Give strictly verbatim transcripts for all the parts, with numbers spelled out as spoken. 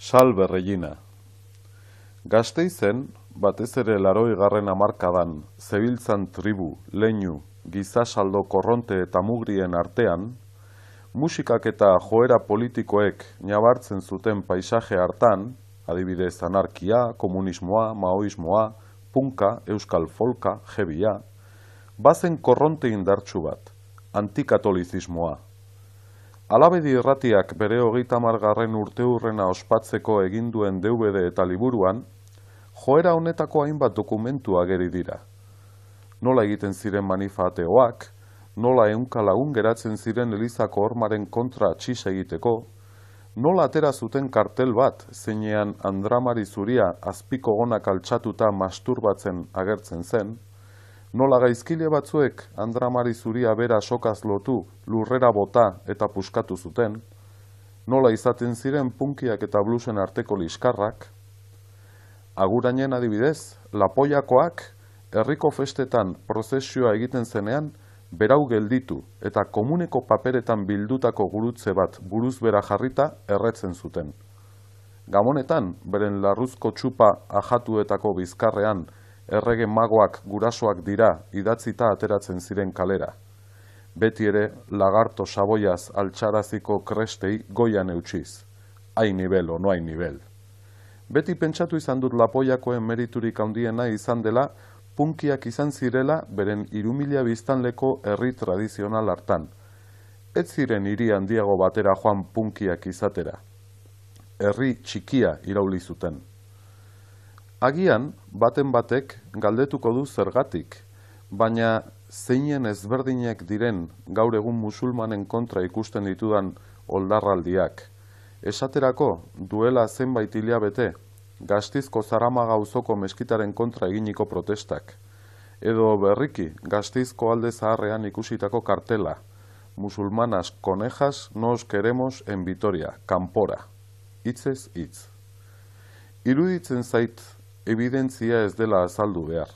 Salve Regina. Gasteizen, batez ere laroigarren hamarkadan, zebiltzan tribu, leinu, gizasaldo korronte eta mugrien artean, musikak eta joera politikoek nabartzen zuten paisaje hartan, adibidez anarkia, komunismoa, maoismoa, punka, euskal folka, jebia, bazen korronte indartsu bat, antikatolizismoa. Alabedi irratiak bere hogeita hamargarren urteurrena ospatzeko egin duen D V D eta liburuan, joera honetako hainbat dokumentu ageri dira. Nola egiten ziren manifateoak, nola ehunka lagun geratzen ziren Elizako hormaren kontra txis egiteko, nola atera zuten kartel bat zeinean Andramari zuria azpiko gonak altxatuta masturbatzen agertzen zen, nola gaizkile batzuek Andramari zuria bera sokaz lotu, lurrera bota eta puskatu zuten, nola izaten ziren punkiak eta bluesen arteko liskarrak, agurainen adibidez, lapoiakoak herriko festetan prozesioa egiten zenean, berau gelditu eta komuneko paperetan bildutako gurutze bat buruz bera jarrita erretzen zuten. Gamonetan, beren larruzko txupa ajatuetako bizkarrean, errege magoak gurasoak dira idatzita ateratzen ziren kalera. Beti ere, lagarto saboiaz altxaraziko krestei goian eutxiz. Hai nivel o no hai nivel. Beti pentsatu izan dut lapoiakoen meriturik handiena izan dela, punkiak izan zirela beren hirumila biztanleko herri tradizional hartan. Ez ziren hiri handiago batera joan punkiak izatera. Herri txikia irauli zuten. Agian, baten batek galdetuko du zergatik, baina zeinen ezberdinek diren gaur egun musulmanen kontra ikusten ditudan oldarraldiak. Esaterako, duela zenbait hilabete, Gasteizko Zaramaga auzoko meskitaren kontra eginiko protestak. Edo berriki, Gasteizko alde zaharrean ikusitako kartela, musulmanas conejas nos queremos en Vitoria, kanpora. Hitzez hitz. Iruditzen zait, evidentzia ez dela azaldu behar,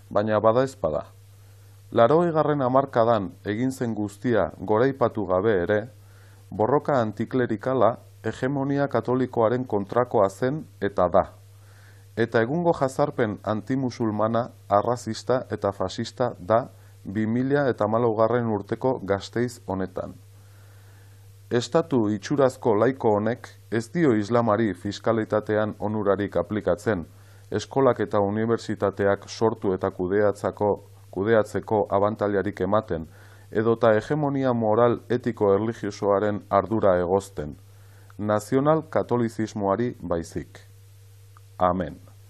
baina bada ezpada. Laroigarren hamarkadan egin zen guztia goraipatu gabe ere, borroka antiklerikala hegemonia katolikoaren kontrakoa zen eta da. Eta egungo jazarpen antimusulmana, arrazista eta fasista da bi mila hamalaugarren urteko Gasteiz honetan. Estatu itxurazko laiko honek ez dio islamari fiskalitatean onurarik aplikatzen, eskolak eta unibertsitateak sortu eta kudeatzeko, kudeatzeko abantailarik ematen, edota hegemonia moral etiko erlijiosoaren ardura egozten, nazional katolizismoari baizik. Amen.